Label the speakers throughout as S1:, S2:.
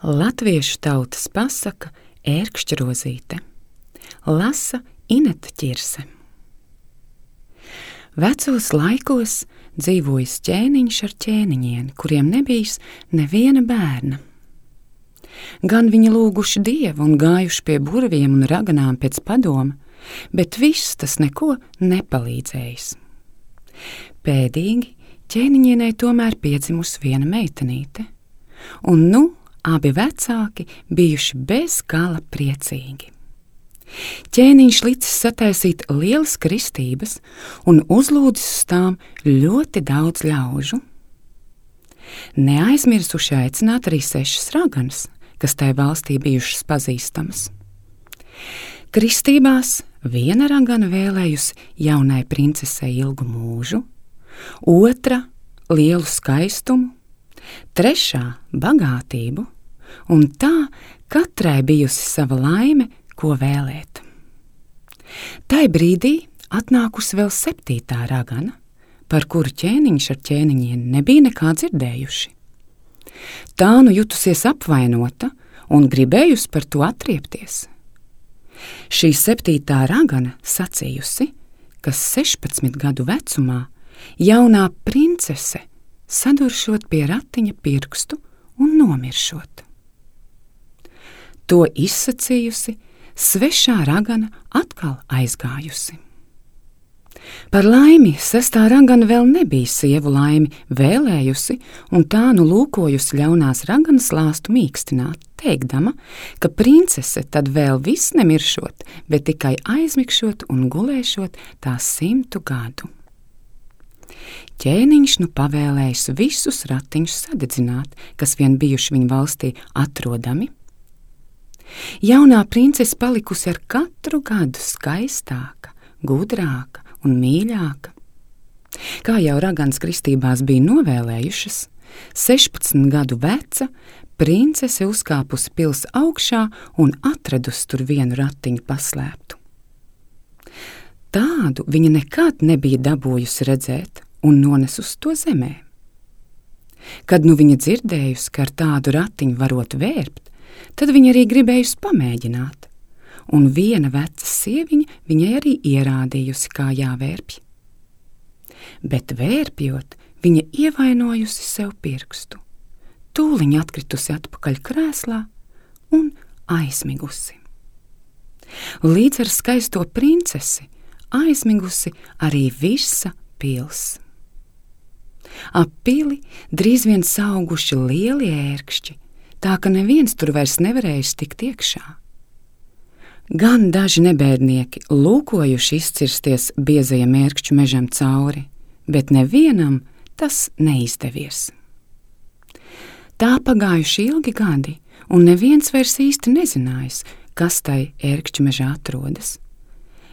S1: Latviešu tautas pasaka Ērkšķa rozīte. Lasa Ineta Ķirse. Vecos laikos dzīvojis ķēniņš ar ķēniņieni, kuriem nebijis neviena bērna. Gan viņi lūguši Dievu un gājuši pie burviem un raganām pēc padoma, bet viss tas neko nepalīdzējis. Pēdīgi ķēniņienei tomēr piedzimusi viena meitenīte, un nu abi vecāki bijuši bez gala priecīgi. Ķēniņš licis sataisīt lielas kristības un uzlūdzis uz tām ļoti daudz ļaužu. Neaizmirsuši aicināt arī 6 raganas, kas tai valstī bijušas pazīstamas. Kristībās viena ragana vēlējusi jaunai princesei ilgu mūžu, otra lielu skaistumu, trešā bagātību, un tā katrai bijusi sava laime, ko vēlēt. Tai brīdī atnākusi vēl 7. ragana, par kuru ķēniņš ar ķēniņieni nebija nekā dzirdējuši. Tā nu jutusies apvainota un gribējusi par to atriepties. Šī 7. ragana sacījusi, ka 16 gadu vecumā jaunā princese saduršot pie ratiņa pirkstu un nomiršot. To izsacījusi, svešā ragana atkal aizgājusi. Par laimi 6. ragana vēl nebija sievu laimi vēlējusi, un tā nu lūkojusi ļaunās raganas lāstu mīkstināt, teikdama, ka princese tad vēl viss nemiršot, bet tikai aizmigšot un gulēšot tās 100 gadu. Ķēniņš nu pavēlējis visus ratiņus sadedzināt, kas vien bijuši viņa valstī atrodami. Jaunā princese palikusi ar katru gadu skaistāka, gudrāka un mīļāka. Kā jau raganas kristībās bija novēlējušas, 16 gadu veca princese uzkāpusi pils augšā un atradusi tur vienu ratiņu paslēptu. Tādu viņa nekad nebija dabūjusi redzēt un nonesusi to zemē. Kad nu viņa dzirdējusi, ka ar tādu ratiņu varot vērpt, tad viņa arī gribējusi pamēģināt, un viena veca sieviņa viņai arī ierādījusi, kā jāvērpj. Bet vērpjot, viņa ievainojusi sev pirkstu, tūliņ atkritusi atpakaļ krēslā un aizmigusi. Līdz ar skaisto princesi aizmigusi arī visa pils. Ap pili drīz vien sauguši lieli ērkšķi, tā ka neviens tur vairs nevarējis tikt iekšā. Gan daži nebēdnieki lūkojuši izcirsties biezajam ērkšķu mežam cauri, bet nevienam tas neizdevies. Tā pagājuši ilgi gadi, un neviens vairs īsti nezinājis, kas tai ērkšķu mežā atrodas.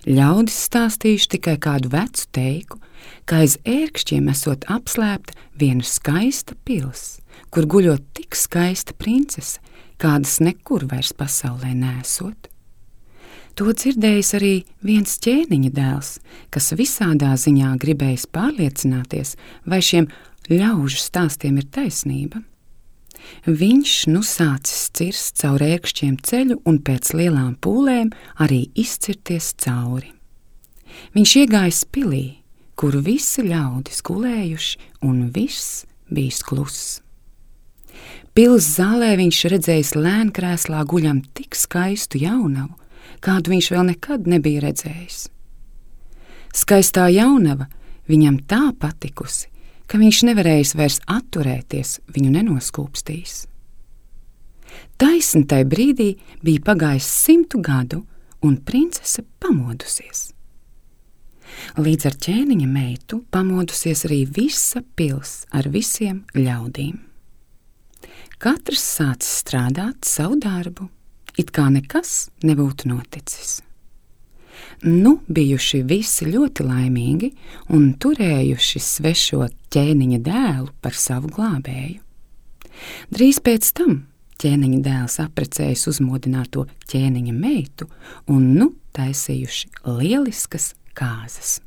S1: Ļaudis stāstījuši tikai kādu vecu teiku, ka aiz ērkšķiem esot apslēpta viena skaista pils, kur guļot tik skaista princese, kādas nekur vairs pasaulē nesot. To dzirdējis arī viens ķēniņa dēls, kas visādā ziņā gribējis pārliecināties, vai šiem ļaužu stāstiem ir taisnība. Viņš nu sācis cirst caur ērkšķiem ceļu un pēc lielām pūlēm arī izcirties cauri. Viņš iegājis pilī, kur visi ļaudis gulējuši un viss bijis kluss. Pils zālē viņš redzējis lēnkrēslā guļam tik skaistu jaunavu, kādu viņš vēl nekad nebija redzējis. Skaistā jaunava viņam tā patikusi, ka viņš nevarējis vairs atturēties, viņu nenoskūpstīs. Taisni tai brīdī bija pagājis 100 gadu, un princese pamodusies. Līdz ar ķēniņa meitu pamodusies arī visa pils ar visiem ļaudīm. Katrs sācis strādāt savu darbu, it kā nekas nebūtu noticis. Nu bijuši visi ļoti laimīgi un turējuši svešo ķēniņa dēlu par savu glābēju. Drīz pēc tam ķēniņa dēls apprecējis uzmodināto ķēniņa meitu un nu taisījuši lieliskas kāzas.